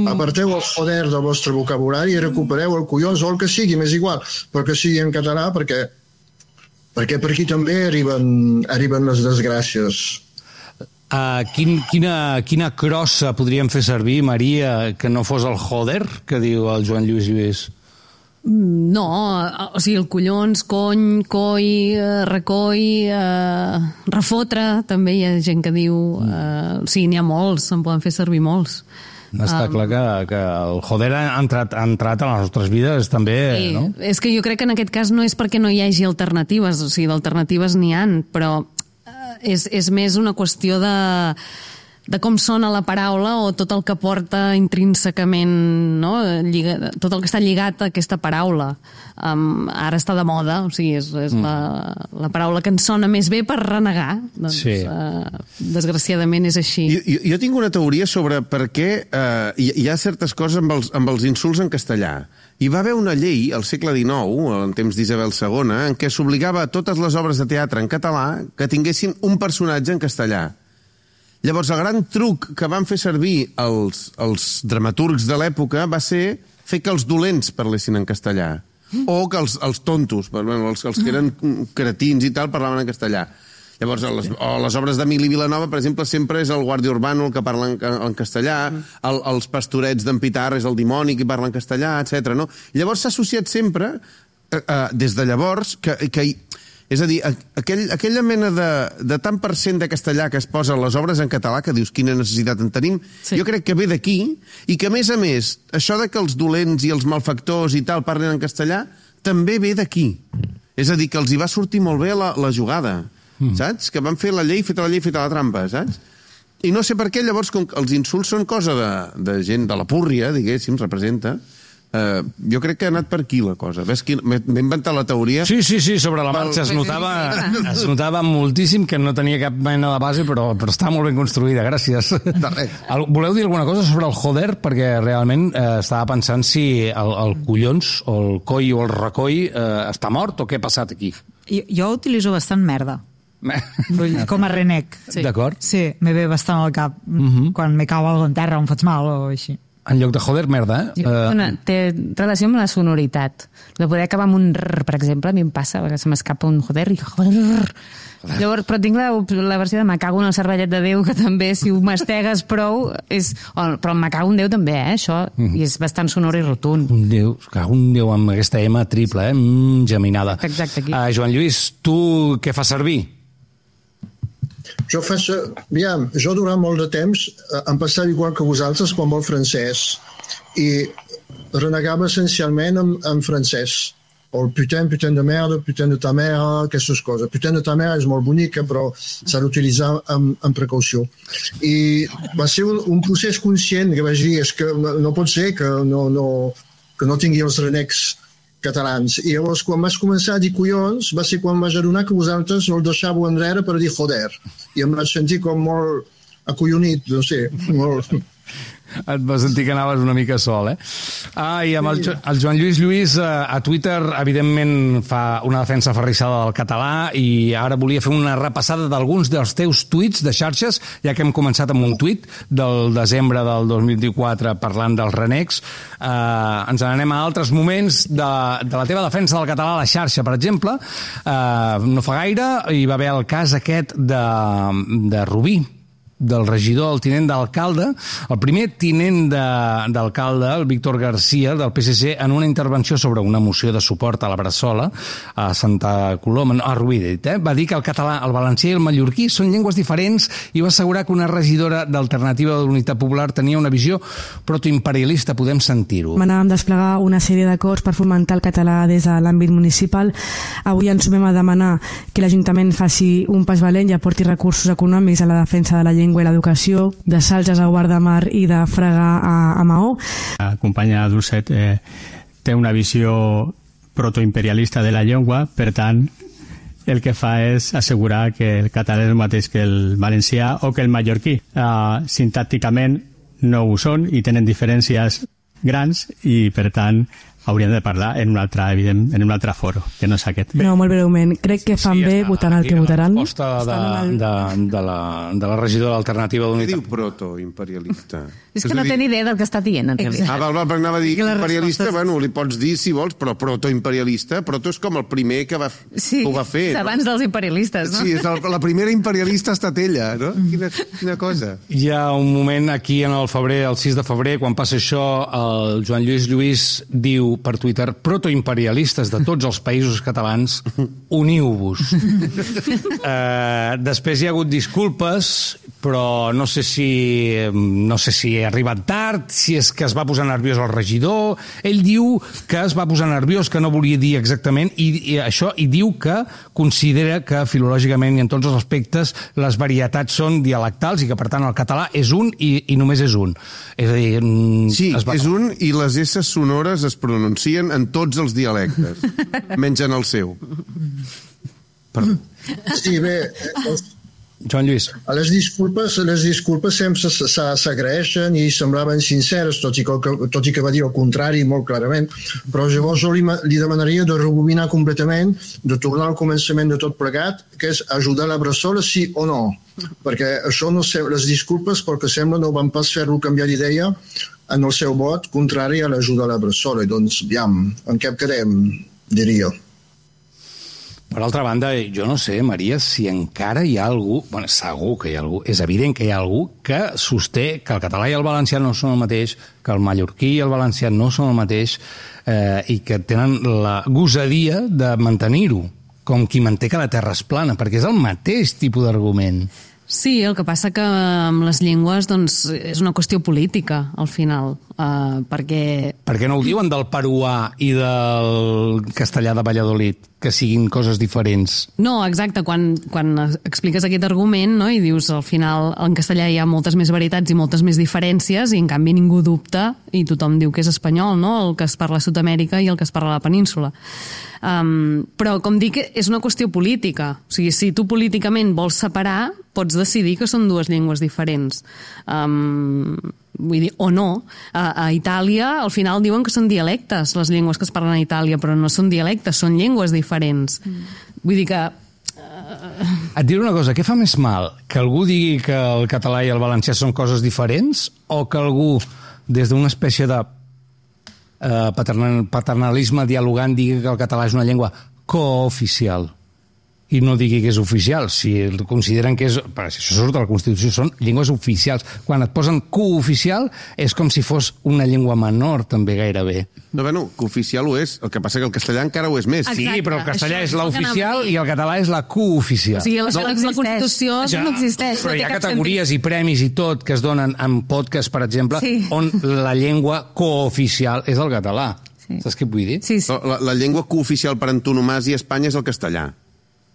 Aparteu el joder del vostre vocabulari i recupereu el collons o el que sigui, m'és igual, però que sigui en català perquè per aquí també arriben les desgràcies. Quina crossa podríem fer servir, Maria, que no fos el joder, que diu el Joan Lluís Lluís? No, o sigui, el collons, cony, coi, recoll, refotre, també hi ha gent que diu... O sigui, n'hi ha molts, se'n poden fer servir molts. Està clar que el joder ha entrat a les nostres vides també, sí, no? És que jo crec que en aquest cas no és perquè no hi hagi alternatives, o sigui, d'alternatives n'hi han, però és més una qüestió de com sona la paraula o tot el que porta intrínsecament, no? Tot el que està lligat a aquesta paraula. Ara està de moda, o sigui, és la paraula que ens sona més bé per renegar. Doncs, sí. Desgraciadament és així. Jo tinc una teoria sobre per què hi ha certes coses amb els insults en castellà. Hi va haver una llei al segle XIX, en temps d'Isabel II, en què s'obligava a totes les obres de teatre en català que tinguessin un personatge en castellà. Llavors, el gran truc que van fer servir els dramaturgs de l'època va ser fer que els dolents parlessin en castellà. O que els tontos, els que eren cretins i tal, parlaven en castellà. Llavors, les obres d'Emili Vilanova, per exemple, sempre és el guàrdia urbano el que parla en castellà, els pastorets d'en Pitar és el dimoni que parla en castellà, etc. No? Llavors s'ha associat sempre, des de llavors, és a dir, aquella mena de tant per cent de castellà que es posa a les obres en català, que dius quina necessitat en tenim, sí. Jo crec que ve d'aquí, i que a més, això de que els dolents i els malfactors i tal parlen en castellà, també ve d'aquí. És a dir, que els hi va sortir molt bé la jugada, saps? Que van fer la llei, feta la trampa, saps? I no sé per què, llavors, com els insults són cosa de gent de la púrria, diguéssim, representa... jo crec que ha anat per aquí la cosa. Ves que m'he inventat la teoria. Sí, sobre la marxa es notava moltíssim que no tenia cap mena de base, però està molt ben construïda, gràcies. Voleu dir alguna cosa sobre el joder? Perquè realment estava pensant si el collons o el coi o el recoll està mort o què ha passat aquí. Jo utilitzo bastant merda. Com a renec. Sí. D'acord? Sí, me ve bastant al cap quan me cau algo en terra o em faig mal o així. En lloc de joder, merda, Té relació amb la sonoritat. De poder acabar amb un rrr, per exemple, a mi em passa, que se m'escapa un joder i joder. Llavors, però tinc la versió de me cago en el cervellet de Déu, que també, si ho mastegues prou, però me cago en Déu també, això, i és bastant sonor i rotund. Cago en Déu amb aquesta M triple, geminada. Exacte, aquí. Joan Lluís, tu què fas servir? Jo durant molt de temps em passava igual que vosaltres quan vol francès i renegava essencialment en francès. O el putain de merde, putain de ta mère, aquestes coses. Putain de ta mère és molt bonica, però s'ha d'utilitzar amb precaució. I va ser un procés conscient que vaig dir, és que no pot ser que no tingui els renecs catalans. I llavors, quan vas començar a dir collons, va ser quan vaig adonar que vosaltres no el deixàveu enrere per dir joder. I em vaig sentir com molt acollonit, no sé, molt... Et vas sentir que anaves una mica sol, I amb el Joan Lluís Lluís a Twitter, evidentment, fa una defensa aferrissada del català i ara volia fer una repassada d'alguns dels teus tuits de xarxes, ja que hem començat amb un tuit del desembre del 2024 parlant dels renecs. Ens n'anem a altres moments de la teva defensa del català a la xarxa, per exemple. No fa gaire hi va haver el cas aquest de Rubí, del regidor, el tinent d'alcalde, el primer tinent d'alcalde, el Víctor García, del PSC, en una intervenció sobre una moció de suport a la Bressola, a Santa Coloma, a Rubí, va dir que el català, el valencià i el mallorquí són llengües diferents i va assegurar que una regidora d'Alternativa de l'Unitat Popular tenia una visió protoimperialista. Podem sentir-ho. Anàvem a desplegar una sèrie d'acords per fomentar el català des de l'àmbit municipal. Avui ens sumem a demanar que l'Ajuntament faci un pas valent i aporti recursos econòmics a la defensa de la llengua i l'educació, de Salges a Guardamar i de Fraga a Maó. La companya Dulcet té una visió protoimperialista de la llengua, per tant, el que fa és assegurar que el català és el mateix que el valencià o que el mallorquí. Sintàcticament no ho són i tenen diferències grans i, per tant, hauríem de parlar en un altre, evident, en un altre foro, que no és aquest. No, molt breument. Crec que fan bé votant el que votaran. La resposta de la regidora d'Alternativa d'Unitat. Què diu protoimperialista? És que no té ni idea del que està dient, en realitat. Val, perquè anava a dir imperialista, bueno, li pots dir si vols, però protoimperialista, proto és com el primer que ho va fer. Sí, abans dels imperialistes, no? Sí, la primera imperialista ha estat ella, no? Quina cosa. Hi ha un moment aquí en el febrer, el 6 de febrer, quan passa això, el Joan Lluís Lluís diu per Twitter: protoimperialistes de tots els països catalans, uniu-vos. Després hi ha hagut disculpes, però no sé si ha arribat tard, si és que es va posar nerviós el regidor. Ell diu que es va posar nerviós, que no volia dir exactament i això, i diu que considera que filològicament i en tots els aspectes les varietats són dialectals i que per tant el català és un i només és un. És a dir, sí, és un i les S sonores es pronuncien en tots els dialectes, menys en el seu. Perdó. Sí, bé, Joan Lluís. Les disculpes sempre s'agraeixen i semblaven sinceres, tot i que va dir el contrari molt clarament, però llavors li demanaria de rebobinar completament, de tornar al començament de tot plegat, que és ajudar la Bressola sí o no, perquè això no sé, les disculpes, pel que sembla, no van pas fer-lo canviar d'idea en el seu vot contrari a l'ajuda a la Bressola. I doncs, aviam, en què quedem, diria. Per altra banda, jo no sé, Maria, si encara hi ha algú, bueno, segur que hi ha algú, és evident que hi ha algú que sosté que el català i el valencià no són el mateix, que el mallorquí i el valencià no són el mateix i que tenen la gosadia de mantenir-ho, com qui manté que la terra és plana, perquè és el mateix tipus d'argument. Sí, el que passa que amb les llengües doncs, és una qüestió política, al final, perquè... Per què no ho diuen del peruà i del castellà de Valladolid, que siguin coses diferents? No, exacte, quan expliques aquest argument, no, i dius, al final, en castellà hi ha moltes més varietats i moltes més diferències, i en canvi ningú dubta, i tothom diu que és espanyol, no?, el que es parla a Sud-amèrica i el que es parla a la península. Però, com dic, és una qüestió política. O sigui, si tu políticament vols separar, pots decidir que són dues llengües diferents. Vull dir, o no. A Itàlia, al final, diuen que són dialectes, les llengües que es parlen a Itàlia, però no són dialectes, són llengües diferents. Vull dir que... Et diré una cosa, què fa més mal? Que algú digui que el català i el valencià són coses diferents o que algú, des d'una espècie de paternalisme dialogant, digui que el català és una llengua cooficial i no digui que és oficial, si consideren que és... Perquè si això surt de la Constitució, són llengües oficials. Quan et posen cooficial és com si fos una llengua menor, també, gairebé. No, bueno, cooficial ho és, el que passa que el castellà encara ho és més. Exacte, sí, però el castellà és l'oficial i el català és la cooficial. O sigui, la Constitució no existeix. Però hi ha categories i premis i tot que es donen en podcast, per exemple, on la llengua cooficial és el català. Saps què vull dir? Sí, sí. La llengua cooficial per antonomàsia a Espanya és el castellà.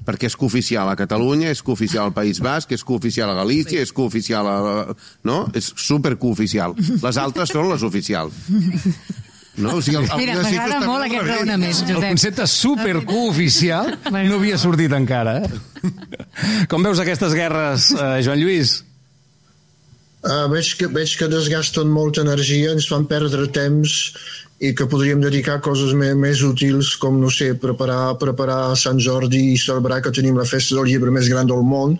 Perquè és cooficial a Catalunya, és cooficial al País Basc, és cooficial a Galícia, és cooficial a... No? És supercooficial. Les altres són les oficials. No? O sigui, mira, m'agrada molt aquest raonament, Josep. El concepte supercooficial no havia sortit encara. Com veus aquestes guerres, Joan Lluís? Veig que desgasten molta energia, ens fan perdre temps i que podríem dedicar a coses més útils com, no sé, preparar Sant Jordi i celebrar que tenim la festa del llibre més gran del món.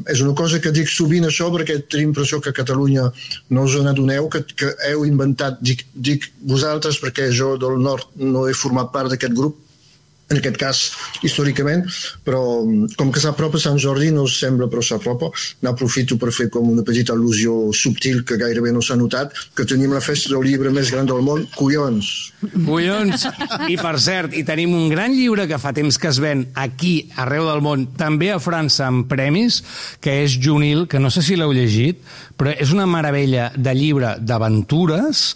És una cosa que dic sovint això perquè tinc l'impressió que a Catalunya no us n'adoneu, que heu inventat, dic vosaltres perquè jo del nord no he format part d'aquest grup, en aquest cas històricament, però com que s'apropa Sant Jordi no sembla, però s'apropa. N'aprofito per fer com una petita al·lusió subtil que gairebé no s'ha notat, que tenim la festa del llibre més gran del món, collons. Collons! I per cert, i tenim un gran llibre que fa temps que es ven aquí, arreu del món, també a França amb premis, que és Junil, que no sé si l'heu llegit, però és una meravella de llibre d'aventures,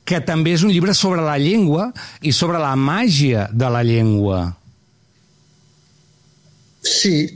que també és un llibre sobre la llengua i sobre la màgia de la llengua. Sí,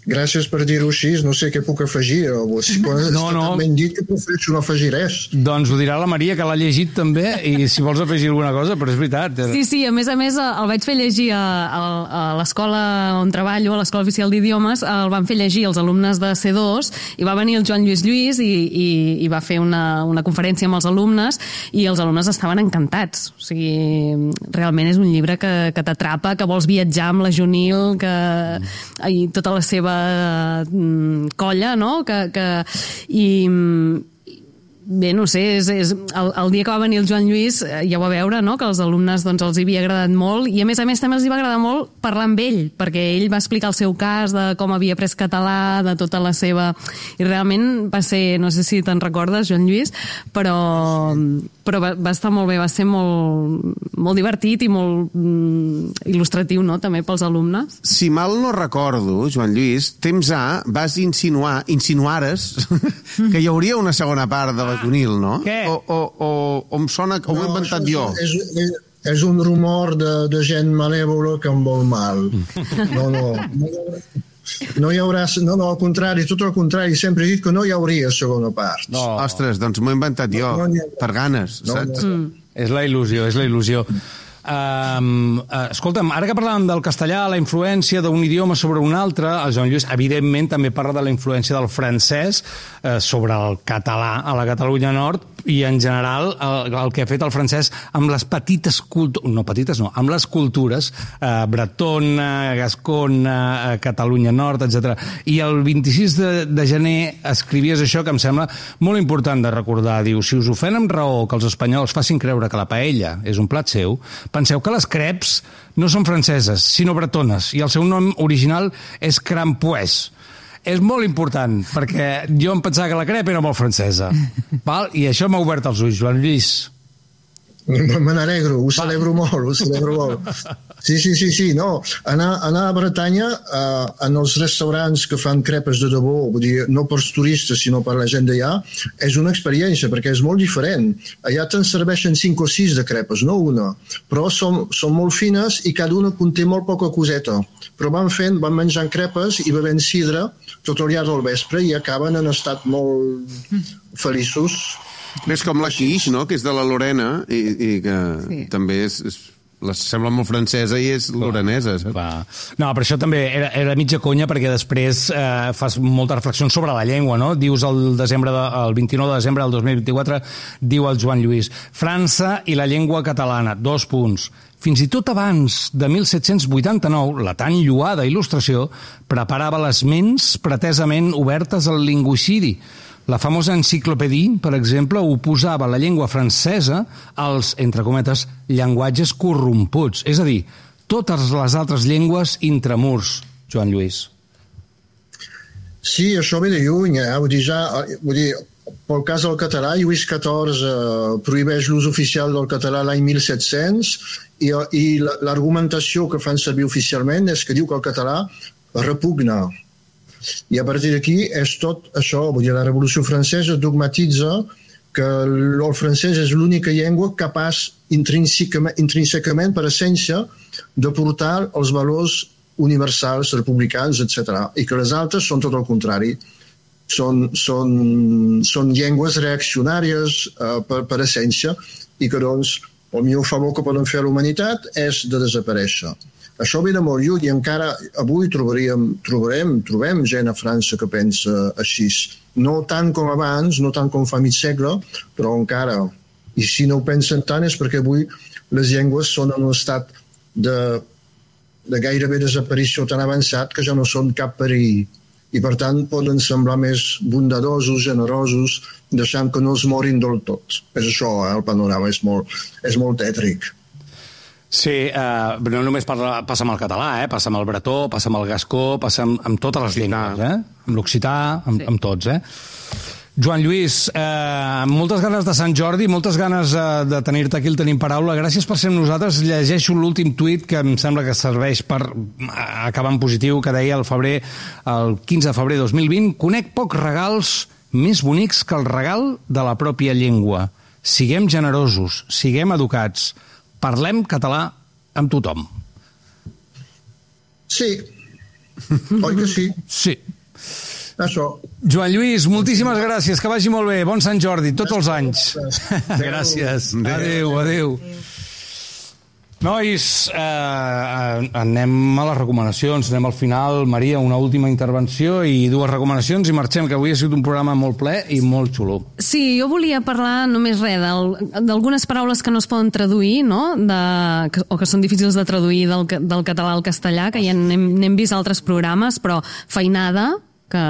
gràcies per dir-ho així, no sé què puc afegir. Quan està tan ben dit que prefereixo no afegir res. Doncs ho dirà la Maria, que l'ha llegit també, i si vols afegir alguna cosa, però és veritat. Sí, a més el vaig fer llegir a l'escola on treballo, a l'Escola Oficial d'Idiomes, el van fer llegir els alumnes de C2, i va venir el Joan Lluís i va fer una conferència amb els alumnes, i els alumnes estaven encantats. O sigui, realment és un llibre que t'atrapa, que vols viatjar amb la Junil, i tota la seva colla, no? I bé, no sé, el dia que va venir el Joan Lluís ja ho va veure, no? Que els alumnes els hi havia agradat molt, i a més també els hi va agradar molt parlar amb ell, perquè ell va explicar el seu cas de com havia après català, de tota la seva... I realment va ser, no sé si te'n recordes, Joan Lluís, però va estar molt bé, va ser molt divertit i molt il·lustratiu, no?, també pels alumnes. Si mal no recordo, Joan Lluís, temps A vas insinuares que hi hauria una segona part de la Junil, no? Què? O em sona que ho he inventat jo. És un rumor de gent malèvola que em vol mal. No hi haurà... No, al contrari, tot el contrari. Sempre he dit que no hi hauria segona part. No. Ostres, doncs m'ho he inventat jo, per ganes, saps? És la il·lusió. Escolta'm, ara que parlàvem del castellà, la influència d'un idioma sobre un altre, el Joan Lluís evidentment també parla de la influència del francès sobre el català a la Catalunya Nord, i en general el que ha fet el francès amb les petites cultures, amb les cultures bretona, gascona, Catalunya Nord, etc. I el 26 de gener escrivies això que em sembla molt important de recordar. Diu, si us ofèn amb raó que els espanyols facin creure que la paella és un plat seu, penseu que les creps no són franceses, sinó bretones, i el seu nom original és crampoès. És molt important, perquè jo em pensava que la crepa era molt francesa. Val? I això m'ha obert els ulls, Joan Lluís. Me n'alegro, ho celebro molt. Sí, no. Anar a Bretanya, en els restaurants que fan crepes de debò, vull dir, no pels turistes, sinó per la gent d'allà, és una experiència, perquè és molt diferent. Allà te'n serveixen 5 o 6 de crepes, no una. Però són molt fines i cada una conté molt poca coseta. Però van menjant crepes i bevent sidra tot el llarg del vespre i acaben en estat molt feliços. És com la quiche, no?, que és de la Lorena i que també sembla molt francesa i és lorenesa. No, però això també era mitja conya, perquè després fas moltes reflexions sobre la llengua, no? Dius el 29 de desembre del 2024, diu el Joan Lluís, França i la llengua catalana, 2 punts. Fins i tot abans de 1789, la tan lloada il·lustració preparava les ments pretesament obertes al lingüicidi. La famosa enciclopèdia, per exemple, oposava la llengua francesa als, entre cometes, llenguatges corromputs. És a dir, totes les altres llengües intramurs, Joan Lluís. Sí, això ve de lluny. Vull dir, pel cas del català, Lluís XIV prohibeix l'ús oficial del català l'any 1700 i l'argumentació que fan servir oficialment és que diu que el català repugna. I a partir d'aquí és tot això, vull dir, la Revolució Francesa dogmatitza que el francès és l'única llengua capaç intrínsecament, per essència, de portar els valors universals, republicans, etc. I que les altres són tot el contrari. Són llengües reaccionàries per essència i que, doncs, el millor favor que poden fer a la humanitat és de desaparèixer. Això ve de molt lluny i encara avui trobem gent a França que pensa així. No tant com abans, no tant com fa mig segle, però encara. I si no ho pensen tant és perquè avui les llengües són en un estat de gairebé desaparició tan avançat que ja no són cap perill. I per tant poden semblar més bondadosos, generosos, deixant que no es morin del tot. És això, el panorama és molt tètric. Sí, no només passa amb el català, passa amb el bretó, passa amb el gascó, passa amb totes les llengües, amb l'occità, amb tots, Joan Lluís, moltes ganes de Sant Jordi, moltes ganes de tenir-te aquí, el Tenim Paraula. Gràcies per ser amb nosaltres. Llegeixo l'últim tuit que em sembla que serveix per acabar en positiu, que deia el 15 de febrer 2020: conec pocs regals més bonics que el regal de la pròpia llengua. Siguem generosos, siguem educats, parlem català amb tothom. Sí. Oi que sí? Sí. Això. Joan Lluís, moltíssimes gràcies, que vagi molt bé. Bon Sant Jordi, tots els anys. Gràcies. Adéu. Nois, anem a les recomanacions, anem al final. Maria, una última intervenció i 2 recomanacions i marxem, que avui ha sigut un programa molt ple i molt xulo. Sí, jo volia parlar només d'algunes paraules que no es poden traduir, no? O que són difícils de traduir del català al castellà, que ja n'hem vist altres programes, però feinada, que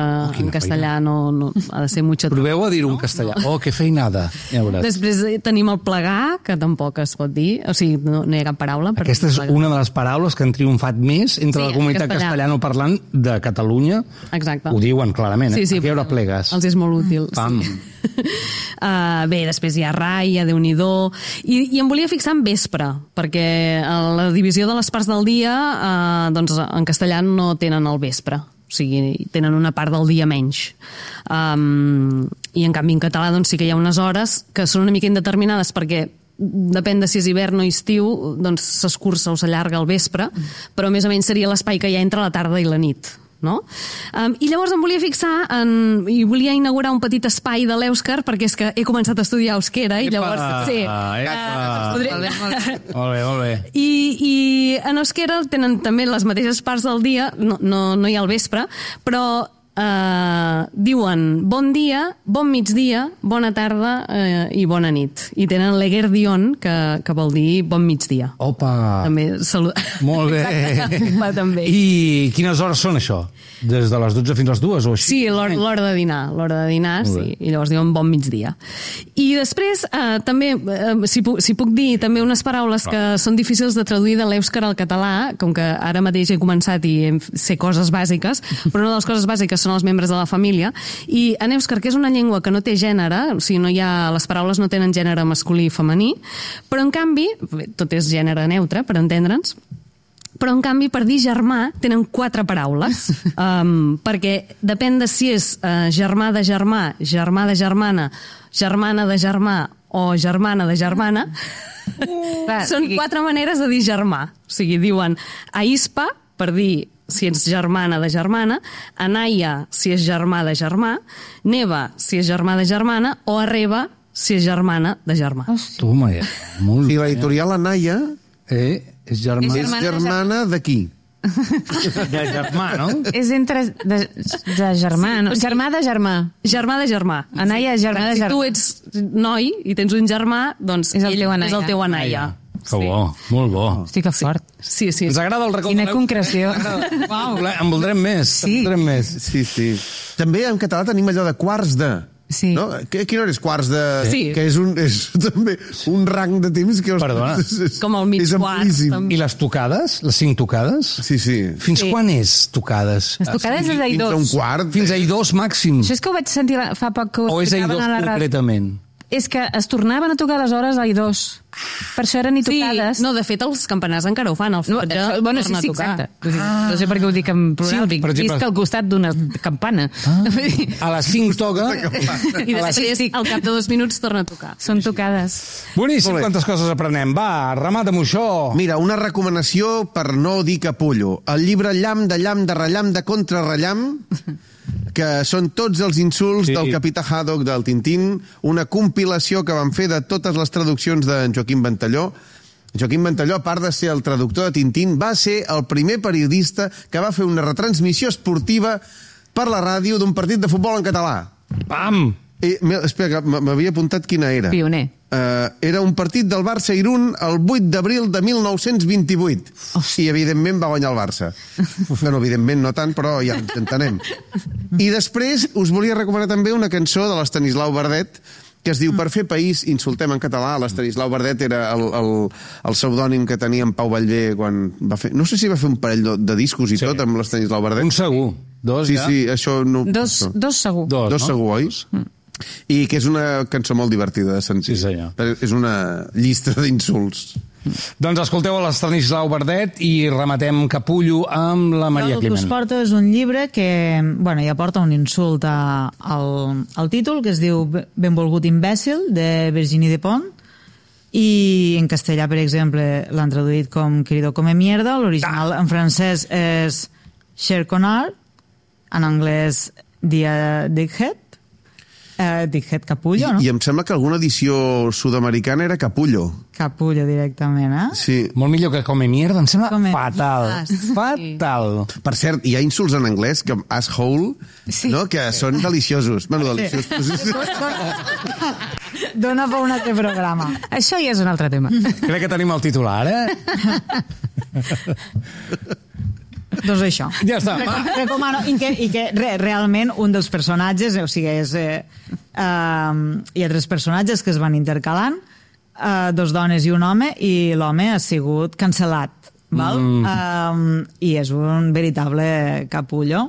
en castellà no ha de ser mucho. Proveu a dir-ho en castellà. Oh, que feinada. Ja veuràs. Després tenim el plegar, que tampoc es pot dir, o sigui, no hi ha cap paraula. Aquesta és una de les paraules que han triomfat més entre la comunitat castellano-parlant de Catalunya. Exacte. Ho diuen clarament, Sí, a què hora plegues? Els és molt útil. Pam. Bé, després hi ha rai, hi ha Déu-n'hi-do, i em volia fixar en vespre, perquè la divisió de les parts del dia, doncs en castellà no tenen el vespre. O sigui, tenen una part del dia menys. I en canvi en català doncs, sí que hi ha unes hores que són una mica indeterminades, perquè depèn de si és hivern o estiu, doncs s'escurça o s'allarga al vespre, però més o menys seria l'espai que hi ha entre la tarda i la nit. No? I llavors em volia fixar i volia inaugurar un petit espai de l'èuscar, perquè és que he començat a estudiar euskera i llavors... Molt bé. I en euskera tenen també les mateixes parts del dia, no hi ha el vespre, però diuen bon dia, bon migdia, bona tarda i bona nit. I tenen l'eguerdion, que vol dir bon migdia. Opa! També molt bé. Va, també. I quines hores són, això? Des de les 12 fins a les 2 o així? Sí, l'hora de dinar, sí. I llavors diuen bon migdia. I després, també, si puc dir també unes paraules que són difícils de traduir de l'èuscar al català, com que ara mateix he començat i sé coses bàsiques, però una de les coses bàsiques són els membres de la família, i en èuscar, que és una llengua que no té gènere, o sigui, les paraules no tenen gènere masculí i femení, però en canvi, tot és gènere neutre, per entendre'ns, però en canvi per dir germà tenen 4 paraules, perquè depèn de si és germà de germà, germà de germana, germana de germà o germana de germana, són 4 maneres de dir germà. O sigui, diuen aispa per dir si ets germana de germana, anaia si és germà de germà, neva si és germà de germana o arreba si és germana de germà. Toma, molt bé. I l'editorial Anaia és germana de qui? De germà, no? És entre de germà, no? Germà de germà. Germà de germà. Anaia, germà de germà. Si tu ets noi i tens un germà, doncs ell és el teu anaia. Que bo, molt bo. Hosti, que fort. Sí. Ens agrada el racó. Quina concreció. En voldrem més. Sí. També en català tenim allò de quarts de... Sí. No? Quina hora és quarts de... Sí. Que és també un rang de temps que... Perdona. Com el mig quart. I les tocades? Les 5 tocades? Sí. Fins quan és tocades? Les tocades és a Fins a un quart. Fins a I2 màxim. Això és que ho vaig sentir fa poc que ho o és a explicaven I2 a la ràdio. concretament? És que es tornaven a tocar les hores a I2. Per això eren tocades. Sí, no, de fet, els campanars encara ho fan. Bueno, sí, exacte. No sé per què ho dic en plural. Sí, per exemple... Visc al costat d'una campana. A les 5 toca... I després, al cap de 2 minuts, torna a tocar. Són tocades. Boníssim, quantes coses aprenem. Va, remata-m'ho això. Mira, una recomanació per no dir capullo. El llibre Llamp de rellam de contrarrellam, que són tots els insults del capità Haddock del Tintín, una compilació que van fer de totes les traduccions d'en Joaquim Ventalló. Joaquim Ventalló, a part de ser el traductor de Tintín, va ser el primer periodista que va fer una retransmissió esportiva per la ràdio d'un partit de futbol en català. Pam! Espera, que m'havia apuntat quina era. Pioner. Era un partit del Barça-Irún el 8 d'abril de 1928. I, evidentment, va guanyar el Barça. Bueno, evidentment no tant, però ja ens entenem. I després us volia recomanar també una cançó de l'Estanislau Verdet, que es diu Per fer país, insultem en català. L'Estanislau Verdet era el pseudònim que tenia en Pau Vallvé quan va fer... No sé si va fer un parell de discos i tot amb l'Estanislau Verdet. Un segur. Dos, sí, ja? Sí, això no... Dos segur. Dos segur, oi? I que és una cançó molt divertida de sentir. Sí, senyor. És una llista d'insults. Doncs escolteu l'Estanislau Verdet i rematem Capullo amb la Maria El que Climent. us porto és un llibre que ja porta un insult al títol, que es diu Benvolgut imbècil, de Virginie Despont, i en castellà, per exemple, l'han traduït com Querido come mierda, l'original en francès és Cher Connard, en anglès Dickhead, Dickhead Capullo, no? I em sembla que alguna edició sud-americana era Capullo. Capullo directament, eh? Sí. Molt millor que Come Mierda, em sembla fatal. Fatal. Per cert, hi ha insults en anglès com asshole, no? Que són deliciosos. Bueno, deliciosos. Dona per un altre programa. Això ja és un altre tema. Crec que tenim el titular, Doncs això. Ja està. Recomano, i que realment un dels personatges, o sigui, hi ha 3 personatges que es van intercalant, 2 dones i un home, i l'home ha sigut cancel·lat, val? I és un veritable capullo.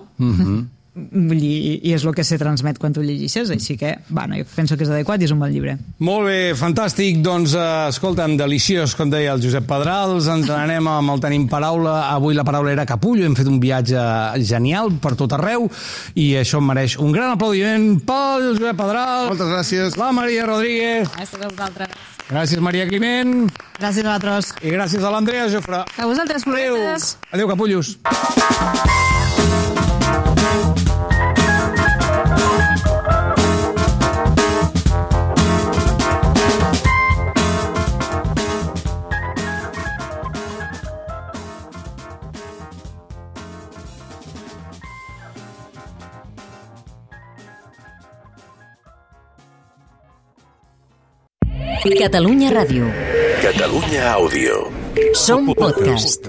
I és el que se transmet quan tu llegeixes, així que, jo penso que és adequat i és un bon llibre. Molt bé, fantàstic. Doncs, escolta'm, deliciós, com deia el Josep Pedrals. Ens anem amb el Tenim Paraula. Avui la paraula era capullo. Hem fet un viatge genial per tot arreu i això em mereix un gran aplaudiment pel Josep Pedrals. Moltes gràcies. La Maria Rodríguez. Gràcies a vosaltres. Gràcies, Maria Climent. Gràcies a vosaltres. I gràcies a l'Andrea Jofre. A vosaltres, floretes. Adéu, capullos. Catalunya Ràdio. Catalunya Àudio. Som podcast.